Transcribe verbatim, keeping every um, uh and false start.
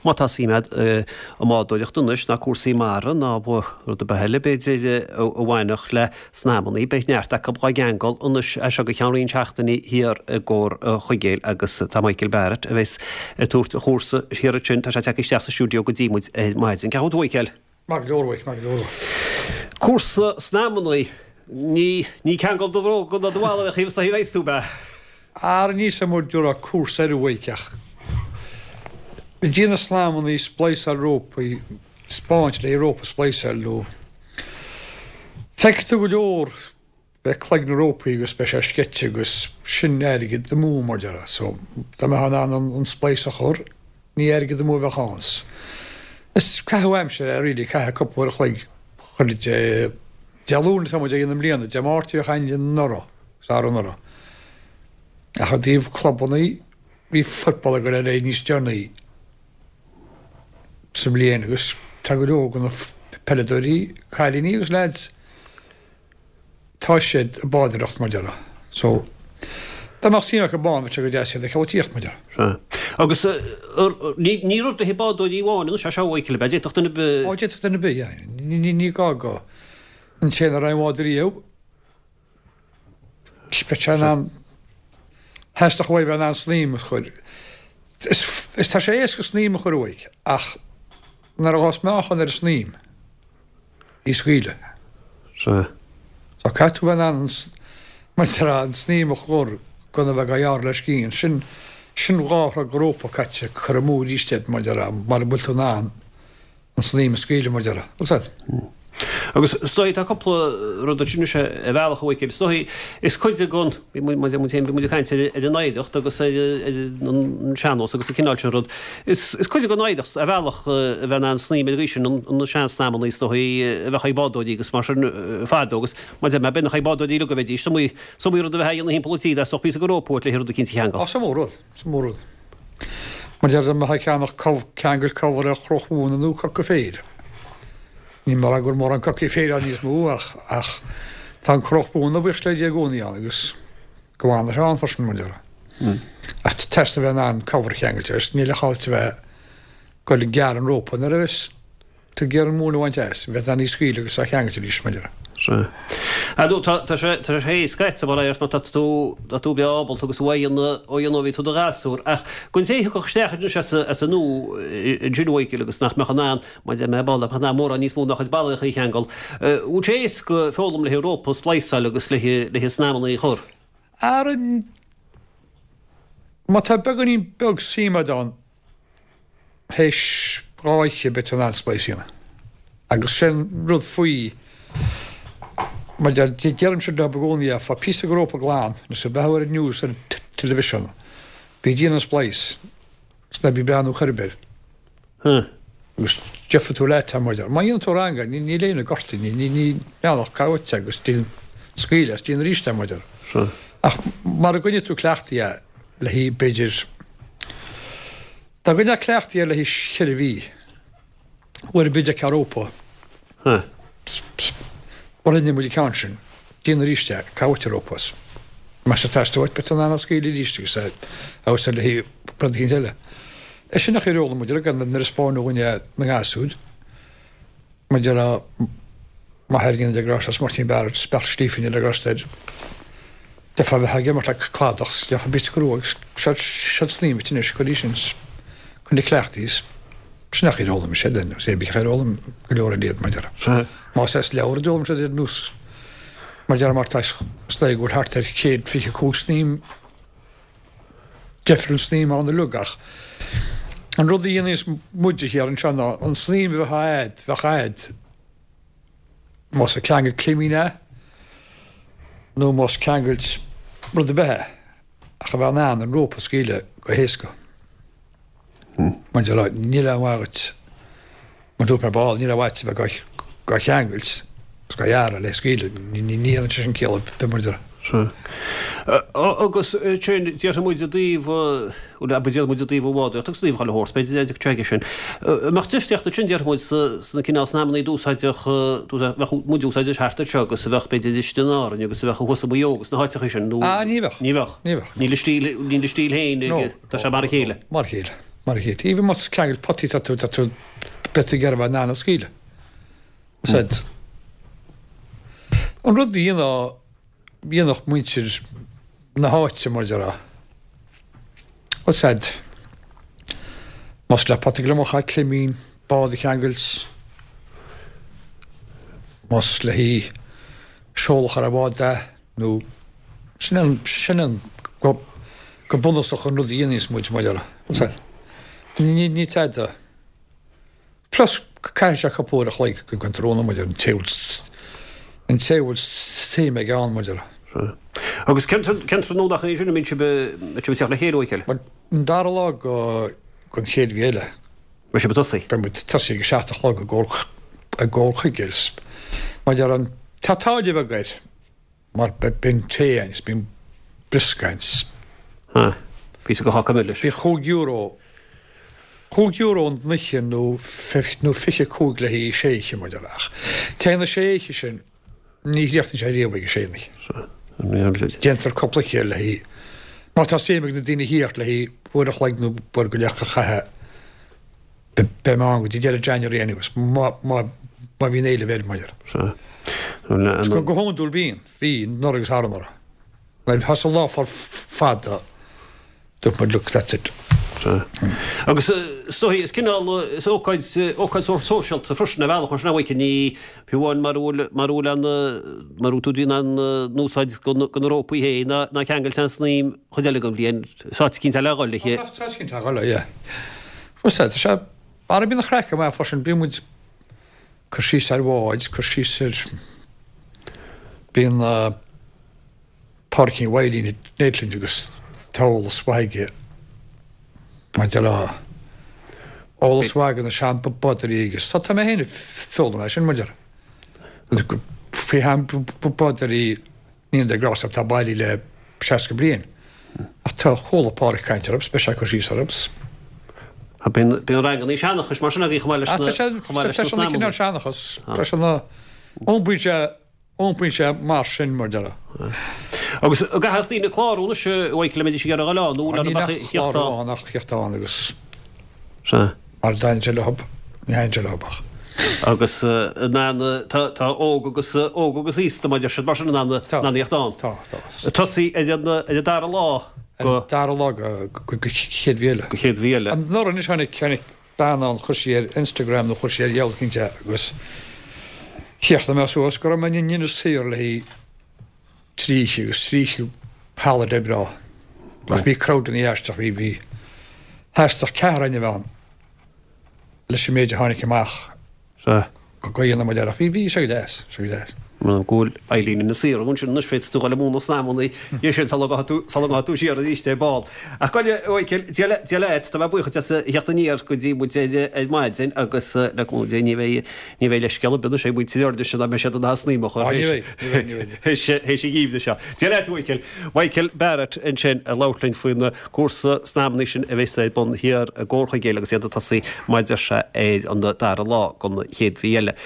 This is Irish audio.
Má tá suim agat i mbádóireacht anois ná cúrsaí mara ná rud ar bith eile b'fhéidir a bhainfeadh le snaidhmeanna, beidh neart acu dhá gceangal anois as seo go ceann roinnt seachtainí thiar i gComhar Chuigéil agus tá Michael Barrett a bheas ag tabhairt a chúrsa thiar ansin, tá sé tagtha isteach sa stiúideo go dtí muid ar maidin. Cén chaoi a bhfuil tú a Mhichael? Maith go leor, maith go leor. Cúrsa snaidhmeanna, ní ní ceangal do bhróga ná do mhála a thaobh is a bheas tú, ab ea? Ara ní sa mur dúra cúrsa ar uaidh ach ag déanamh snaidhmeanna, splicáil rópaí, spáint le rópa splicáil nó feicfidh tú go leor beidh cloigne rópaí agus beidh sé sceite agus sin airgead amú mar déarfá so dá mbeifeá in ann an, an splice a chur ní airgead amú a bheadh ann. Is caitheamh aimsire é really caithfidh cúpla uair a chloig chuile Dé Dé Luain atá muid ag déanamh i mbliana, Dé Máirt a bheadh againn anuraidh, agus arú-anuraidh. Ach i dtaobh clubanna bhí football ag dul ar aghaidh níos deireanaí sa mbliain agus tá go leor de na peileadóirí, cailíní agus leaids, tá siad ag bádóireacht mar déarfá. So dá mbeadh suim acu ann bheadh sé go deas iad a cheoltaíocht mar déarfá. Sea. Agus ní ní rud le haghaidh bádóirí amháin anois é seo a Mhichael, ab ea? D'fhéadfadh duine ar bith. Ó d'fhéadfadh duine ar bith, yeah. Ní ní ní gá go an té nach raibh i mbád riamh. Bheadh sé in ann theastódh uaidh bheith in ann snaidhm a chur. Is is tá sé éasca snaidhm a chur uaidh ach nuair a ghabhas meáchan ar an snaidhm í scaoileadh. Sea. So caithfidh tú bheith in ann an mar a déarfá an snaidhm a chur gan a bheith á ghearradh le scian. Sin sin dhá throigh de rópa caite curtha amú arís agat mar a déarfá mara bhfuil tú in ann an snaidhm a scaoileadh mar a déarfá. Bhfuil 's agat? Agus is dóigh tá cúpla rud ansin anois ar bhealach a Mhichael. Is dóigh is cuid den, bhí muid muid féin bhí muid ag caint ar ar an oidhreacht agus ar ar an sean-nós agus an cineál sin rud. Is is cuid den oidhreacht ar bhealach a bheith in ann snaidhm ar an gcaoi sin an na seansnaidhmeanna is dóigh a bheadh ag bádóirí agus mar sin fadó agus mar a deir mé b'in ag bádóirí uilig a bheidís. Is iomaí is iomaí rud a bheith á dhéanamh thimpeall an tí dá dteastódh píosa de rópa uait le rud eicínt a cheangal. Á is mór rud, is mór rud. Mar deir dá mbeifeá ag ceannach ceangal cobhar ar chroch mhóna nó coca féir. Ní mar go bhfuil mórán cocaí féir ann níos mó ach ach tá an chroch mhóna buíochas le Dia i gcónaí ann agus go bhfana sé ann freisin mar déarfá. Ach teastaíonn a bheith in ann cobhar a cheangailt agus níl a chaill a bheith ag dul ag gearradh an rópa nuair a bheas tú ag iarraidh an mhóin a bhaint as, bheith in ann í a scaoileadh agus á cheangailt arís mar déarfá. Sea. Ar ndóigh, tá, tá sé, tá sé éasca agat mar a má tá tú, tá tú breá ábalta agus ó dhéanamh, ó dhéanamh ó bhí tú i do ghasúr. Ach don té a thiocfadh isteach anois as, as an nua ansin a Mhichael agus nach mbeadh in ann, mar a deir mé, ball, nach mórán níos mó ná chuid ballaí a cheangal, bhfuil sé éasca foghlaim le rópa a spliceáil agus le, le snaidhmeanna a chur? Ar an, má tá beagáinín beag suim agat ann, théis dhá oíche beidh tú in ann splice a dhéanamh. Agus sin rud faoi, mar deir, deirimse leo i gcónaí é, faigh píosa de rópa glan, nó sa beatha ar an news ar an television, bí ag déanamh an splice, is ná bí ag breathnú chor ar bith. Agus gheobhaidh tú leat é, mar deir. Má dhéanann tú ranga, ní ní léann an gorta, ní ní ní neanach caite agus déan scaoileadh as, déan arís é, mar deir. Ach mara gcoinne tú cleachtaithe é le haghaidh, b'fhéidir, Dá gcoinneofá cleachtaithe air le haghaidh cheithre mhí, uair ar bith a d'fheicfeá rópa, mar rinne muid an ceann sin, déan arís é, caith uait an rópa as. Más ag teastáil uait, beidh tú in ann é a scaoileadh arís agus é a úsáid le haghaidh rud eicínt eile. É sin a chuir eolas muid ar nuair a spáineadh dhúinn é na ngasúir. Mar déarfá, m'athair go ndéana Dia grásta as Máirtín Barrett, Bealach Stífín le grásta air. D'fheicfeá bheith ag imirt le cladach, gheofá píosa crua agus seod seod snaidhm duit anois, cuir í sin, coinnigh cleachtaithe is sin nach ar fhoghlaim siad linn, is é bíodh ar fhoghlaim go leor eile iad, mar déarfá. Más as leabhar a d'fhoghlaim siad ar nós, mar déarfá mar tá is dóigh go bhfuil thart ar céad fiche cúig snaidhm Deifir an snaidhm ann uilig ach an rud a dhéanas muide thiar anseo ná an snaidhm a bheadh a'd, bheadh a'd más ag ceangailt climín é nó más ceangailt rud ar bith é ach a bheith in ann an rópa a scaoileadh go héasca. Mar déarfá, níl aon mhaith dhuit, mar dúirt mé ball, níl aon mhaith duit a bheith dhá cheangailt agus dhá ghearradh le scaoileadh, ní dhéanann sé sin ciall ar bith mar déarfá. Sea. Agus sin, déarfaidh muid i dtaobh, bhuel, abair déarfaidh muid i dtaobh an bhádóireacht agus i dtaobh chuile shórt, b'fhéidir, d'fhéadfadh sé aige sin. An mbeadh difríocht ansin, déarfaidh muid, sna cineál snaidhmeanna d'úsáideadh, bheadh muid a úsáideadh thart anseo agus a bheadh, b'fhéidir, istigh in Árainn agus a bheadh thuas i Maigh Eo agus na háiteacha sin, nó? Ah, ní bheadh. Ní bheadh. Ní bheadh. Níl a stíl, níl a stíl féin No. Tá sé mar a chéile. Mar a chéile. Mar a chéile. Even más ceangal potaí tá tú tá tú beidh tú ag iarraidh a bheith in ann a scaoileadh. Said. An rud a dhéanadh dhéanadh muintir na háite mar déarfá. Bhuel said. Más le pota gliomach a climín, bád a cheangailt, más le haghaidh seol a chur ar bhád é nó sin an sin an go go bunúsach an rud a dhéanas muid mar déarfá. Bhuel said. Ní ní tada. Plus caithfidh sé cúpla uair a chloig go an tráthnóna mar an té an té bhfuil suim aige ann mar déarfá. Agus cén tráthnóna é sin a mbíonn sibh ag teacht le chéile a Mhichael? Bhuel an dara lá go gon chéad mhí eile. Beidh sibh ag tosaí? Beidh muid ag tosaí ag a seacht a chlog i gcomhair i gcomhair chuige mar déarfá an tá táille bheag air mar bíonn tae ann is bíonn briosca ann is. Ha, píosa go cháca milis. Bhí chúig euro chúig euro an oíche nó nó fiche cúig le haghaidh sé oíche mar déarfá ach téann na sé oíche sin ní chríochnaíonn sé riamh ag a sé oíche. Déantar cúpla oíche le haghaidh má tá suim ag na daoine theacht le haghaidh uair a chloig nó uair go leith a chaitheamh beidh mé ann go dtí deireadh January anyways má má má bhíonn éileamh air mar déarfá. Sea. Go hiondúil bíonn, bhí anuraidh agus thar anuraidh. Nuair a thosaigh an lá fada dúirt muid look that's it. Sea. Agus is dóigh, is cineál, is ócáid, ócáid sórt sóisialta freisin ar bhealach mar sin a Mhichael, ní, fiú amháin mara bhfuil, mara bhfuil an, mara bhfuil tú ag déanamh aon úsáid de na rópaí féin ná, ná ceangailt an snaidhm chuid eile den bhliain, is áit eicínt eile a dhul léi. Tá áit eicínt a dhul léi, yeah. Fós tá sé, ara bíonn an chraic maith freisin, bíonn muid cur síos ar bháid, cur síos ar, bíonn Pádraicín Mhaidhcilín Neidlin agus tá eolas mhaith aige maidir le eolas mhaith aige na sean-bhodairí agus tá tá mé féin ag foghlaim é sin maidir faoi shean-bhodairí Níl de grá atá bailí le seasca bliain ach tá chuala Pádraic caint orthu, beidh sé ag cur síos orthu. Bíonn bíonn ranganna seanchais mar sin agaibh chomh maith leis na chomh maith leis na snaidhmeanna. Tá sé cineál seanchas, tá sé na iompraíonn sé iompraíonn sé mar sin mar déarfá. Agus an gcaithfidh daoine clárú anois a Mhichael, a mbeidís ag iarraidh a dhul ann nó Níl mbeadh ach theacht clárú ann? ann ach theacht ann agus Sea. mar a dtaitníonn sé leo, ní thaitníonn sé leo ach. Agus in ann tá tá óg agus óg agus aosta mar deir siad mar sin in ann in Tá. ann theacht ann. Tá, tá. Ag tosaí ar an ar an dara lá Ar go an dara lá go go go chéad mhí eile. go chéad mhí eile. Anuraidh anois tháinig tháinig bean ann chuir sí ar Instagram nó chuir sí ar dheabhal cinnte agus chríochnaigh mé suas go raibh mé in Inis Oírr le haghaidh trí oíche agus trí oíche holiday breá. Ach bhí crowd ina aisteach bhí bhí theastaigh ceathrar againn a bheith ann leis an méid a tháinig amach Sea. go dhéanamh muid air ach bhí bhí sé go deas, sé go deas. Go bhfuil Eileen Inis Oírr ansin anois féadfaidh tú dhul i mbun na snaidhmeanna dhiaidh sin sula ngabhfaidh tú sula ngabhfaidh tú siar arís ar ball. Ach gabh i leith a Mhichael, Dia le Dia leat, tá mé buíoch duit as a theacht aniar go dtí muid ar ar maidin agus le cúnamh Dé ní bheidh ní bheidh leithscéal ar bith anois ag muintir Fhoirnis dá mbeidh siad in ann snaidhm a chur Á ní bheidh, ní bheidh, ní bheidh. théis théis an gheimhridh seo. Dia leat a Mhichael. Michael Barrett ansin ag labhairt linn faoin gcúrsa snaidhmeanna sin a bheas ar bun thiar i gComhar Chuigéil agus iad ag tosaí mar a deir sé ar an dara lá den chéad mhí eile.